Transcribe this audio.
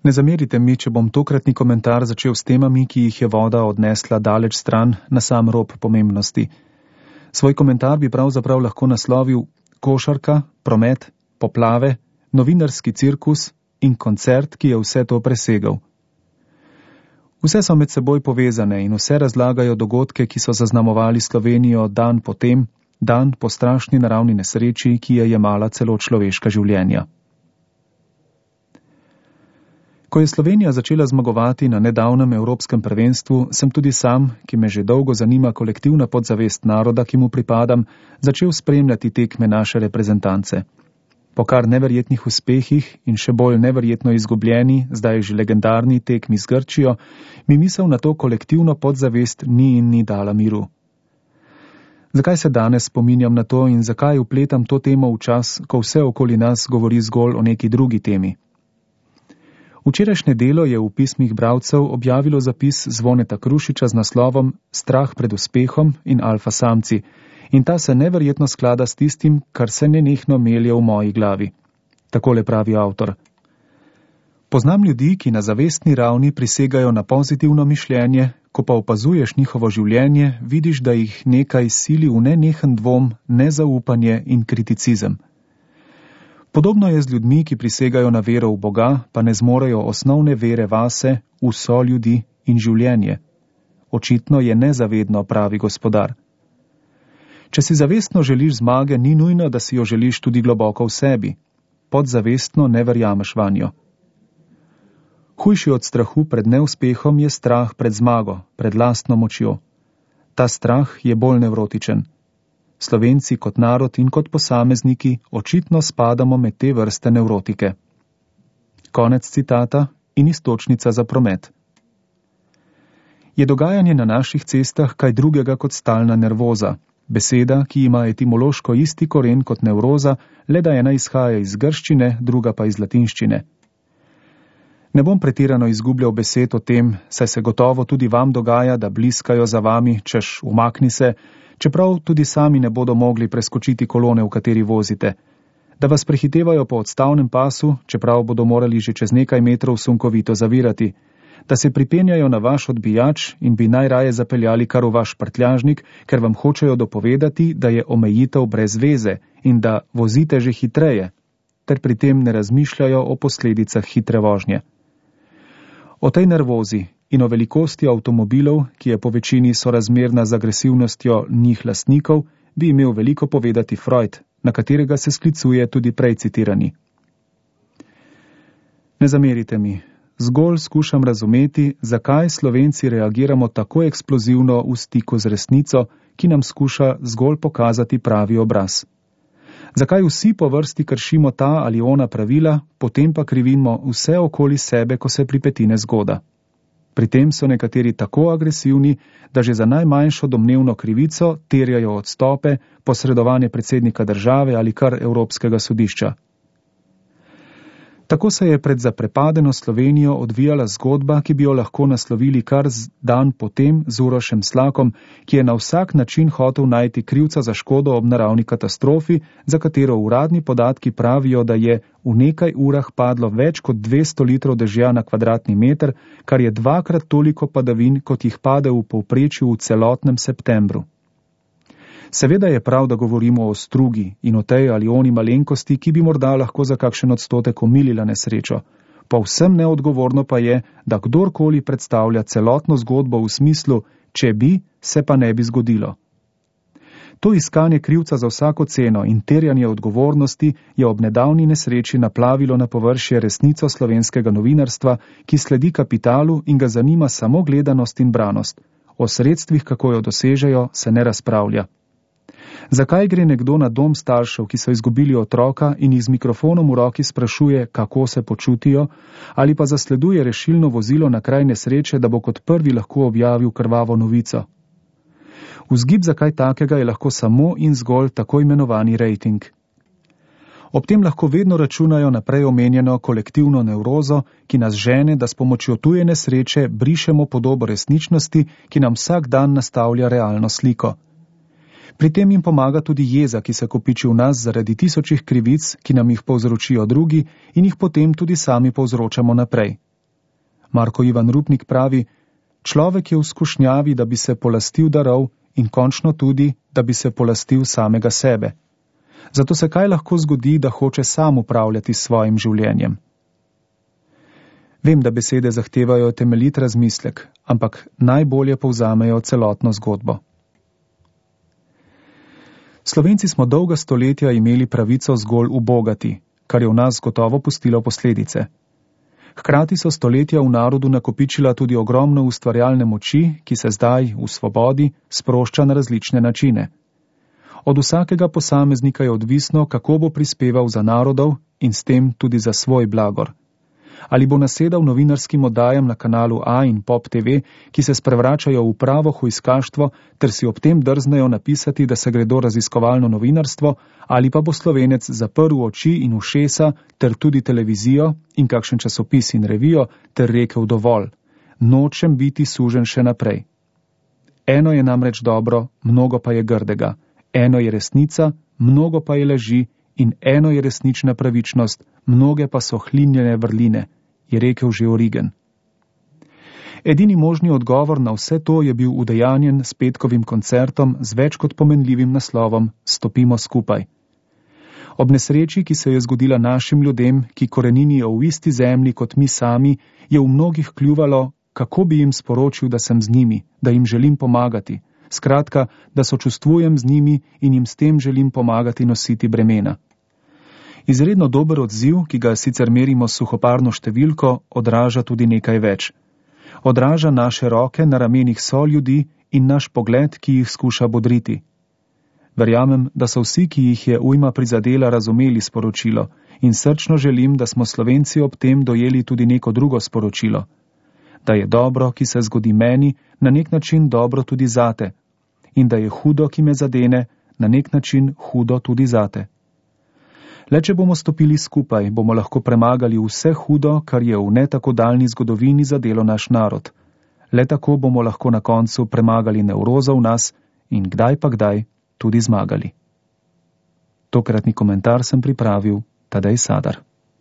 Ne zamerite mi, če bom tokratni komentar začel s temami, ki jih je voda odnesla daleč stran na sam rob pomembnosti. Svoj komentar bi pravzaprav lahko naslovil košarka, promet, poplave, novinarski cirkus in koncert, ki je vse to presegal. Vse so med seboj povezane in vse razlagajo dogodke, ki so zaznamovali Slovenijo dan po tem, dan po strašni naravni nesreči, ki je jemala celo človeška življenja. Ko je Slovenija začela zmagovati na nedavnem evropskem prvenstvu, sem tudi sam, ki me že dolgo zanima kolektivna podzavest naroda, ki mu pripadam, začel spremljati tekme naše reprezentance. Po kar neverjetnih uspehih in še bolj neverjetno izgubljeni, zdaj že legendarni tekmi z Grčijo, mi misel na to kolektivno podzavest ni dala miru. Zakaj se danes spominjam na to in zakaj vpletam to temo v čas, ko vse okoli nas govori zgolj o neki drugi temi? Včerajšnje Delo je v pismih bralcev objavilo zapis Zvoneta Krušiča z naslovom Strah pred uspehom in alfa samci in ta se neverjetno sklada s tistim, kar se nenehno melje v moji glavi. Takole pravi avtor. Poznam ljudi, ki na zavestni ravni prisegajo na pozitivno mišljenje, ko pa opazuješ njihovo življenje, vidiš, da jih nekaj sili v nenehen dvom, nezaupanje in kriticizem. Podobno je z ljudmi, ki prisegajo na vero v Boga, pa ne zmorejo osnovne vere vase, v soljudi in življenje. Očitno je nezavedno, pravi gospodar. Če si zavestno želiš zmage, ni nujno, da si jo želiš tudi globoko v sebi. Podzavestno ne verjameš vanjo. Hujši od strahu pred neuspehom je strah pred zmago, pred lastno močjo. Ta strah je bolj nevrotičen. Slovenci kot narod in kot posamezniki očitno spadamo med te vrste nevrotike. Konec citata in iztočnica za promet. Je dogajanje na naših cestah kaj drugega kot stalna nervoza, beseda, ki ima etimološko isti koren kot nevroza, le da ena izhaja iz grščine, druga pa iz latinščine. Ne bom pretirano izgubljal besed o tem, saj se gotovo tudi vam dogaja, da bliskajo za vami, češ umakni se, čeprav tudi sami ne bodo mogli preskočiti kolone, v kateri vozite, da vas prehitevajo po odstavnem pasu, čeprav bodo morali že čez nekaj metrov sunkovito zavirati, da se pripenjajo na vaš odbijač in bi najraje zapeljali kar v vaš prtljažnik, ker vam hočejo dopovedati, da je omejitev brez veze in da vozite že hitreje, ter pri tem ne razmišljajo o posledicah hitre vožnje. O tej nervozi in o velikosti avtomobilov, ki je po večini sorazmerna z agresivnostjo njih lastnikov, bi imel veliko povedati Freud, na katerega se sklicuje tudi prej citirani. Ne zamerite mi, zgolj skušam razumeti, zakaj Slovenci reagiramo tako eksplozivno v stiku z resnico, ki nam skuša zgolj pokazati pravi obraz. Zakaj vsi po vrsti kršimo ta ali ona pravila, potem pa krivimo vse okoli sebe, ko se pripeti nezgoda. Pri tem so nekateri tako agresivni, da že za najmanjšo domnevno krivico terjajo odstope, posredovanje predsednika države ali kar Evropskega sodišča. Tako se je pred zaprepadeno Slovenijo odvijala zgodba, ki bi jo lahko naslovili kar dan potem z Urošem Slakom, ki je na vsak način hotel najti krivca za škodo ob naravni katastrofi, za katero uradni podatki pravijo, da je v nekaj urah padlo več kot 200 litrov dežja na kvadratni meter, kar je 2-krat toliko padavin, kot jih pade v povprečju v celotnem septembru. Seveda je prav, da govorimo o strugi in o tej ali oni malenkosti, ki bi morda lahko za kakšen odstotek omilila nesrečo. Povsem neodgovorno pa je, da kdorkoli predstavlja celotno zgodbo v smislu, če bi, se pa ne bi zgodilo. To iskanje krivca za vsako ceno in terjanje odgovornosti je ob nedavni nesreči naplavilo na površje resnico slovenskega novinarstva, ki sledi kapitalu in ga zanima samo gledanost in branost. O sredstvih, kako jo dosežejo, se ne razpravlja. Zakaj gre nekdo na dom staršev, ki so izgubili otroka in jih z mikrofonom v roki sprašuje, kako se počutijo, ali pa zasleduje rešilno vozilo na kraj nesreče, da bo kot prvi lahko objavil krvavo novico? Vzgib za kaj takega je lahko samo in zgolj tako imenovani rejting. Ob tem lahko vedno računajo na prej omenjeno kolektivno nevrozo, ki nas žene, da s pomočjo tuje nesreče brišemo podobo resničnosti, ki nam vsak dan nastavlja realno sliko. Pri tem jim pomaga tudi jeza, ki se kopiči v nas zaradi tisočih krivic, ki nam jih povzročijo drugi in jih potem tudi sami povzročamo naprej. Marko Ivan Rupnik pravi: človek je v skušnjavi, da bi se polastil darov in končno tudi, da bi se polastil samega sebe. Zato se kaj lahko zgodi, da hoče sam upravljati s svojim življenjem? Vem, da besede zahtevajo temeljit razmislek, ampak najbolje povzamejo celotno zgodbo. Slovenci smo dolga stoletja imeli pravico zgolj ubogati, kar je v nas gotovo pustilo posledice. Hkrati so stoletja v narodu nakopičila tudi ogromno ustvarjalne moči, ki se zdaj, v svobodi, sprošča na različne načine. Od vsakega posameznika je odvisno, kako bo prispeval za narodov in s tem tudi za svoj blagor. Ali bo nasedal novinarskim oddajam na kanalu A in Pop TV, ki se sprevračajo v pravo hujskaštvo, ter si ob tem drznejo napisati, da se gredo raziskovalno novinarstvo, ali pa bo Slovenec zaprl oči in ušesa, ter tudi televizijo in kakšen časopis in revijo, ter rekel dovolj: nočem biti sužen še naprej. Eno je namreč dobro, mnogo pa je grdega. Eno je resnica, mnogo pa je laži, in eno je resnična pravičnost, mnoge pa so hlinjene vrline, je rekel že Origen. Edini možni odgovor na vse to je bil udejanjen s petkovim koncertom z več kot pomenljivim naslovom Stopimo skupaj. Ob nesreči, ki se je zgodila našim ljudem, ki koreninijo v isti zemlji kot mi sami, je v mnogih kljuvalo, kako bi jim sporočil, da sem z njimi, da jim želim pomagati. Skratka, da sočustvujem z njimi in jim s tem želim pomagati nositi bremena. Izredno dober odziv, ki ga sicer merimo s suhoparno številko, odraža tudi nekaj več. Odraža naše roke na ramenih soljudi in naš pogled, ki jih skuša bodriti. Verjamem, da so vsi, ki jih je ujma prizadela, razumeli sporočilo in srčno želim, da smo Slovenci ob tem dojeli tudi neko drugo sporočilo. Da je dobro, ki se zgodi meni, na nek način dobro tudi zate. In da je hudo, ki me zadene, na nek način hudo tudi zate. Le če bomo stopili skupaj, bomo lahko premagali vse hudo, kar je v ne tako daljni zgodovini zadelo naš narod. Le tako bomo lahko na koncu premagali nevrozo v nas in kdaj pa kdaj tudi zmagali. Tokratni komentar sem pripravil Tadej Sadar.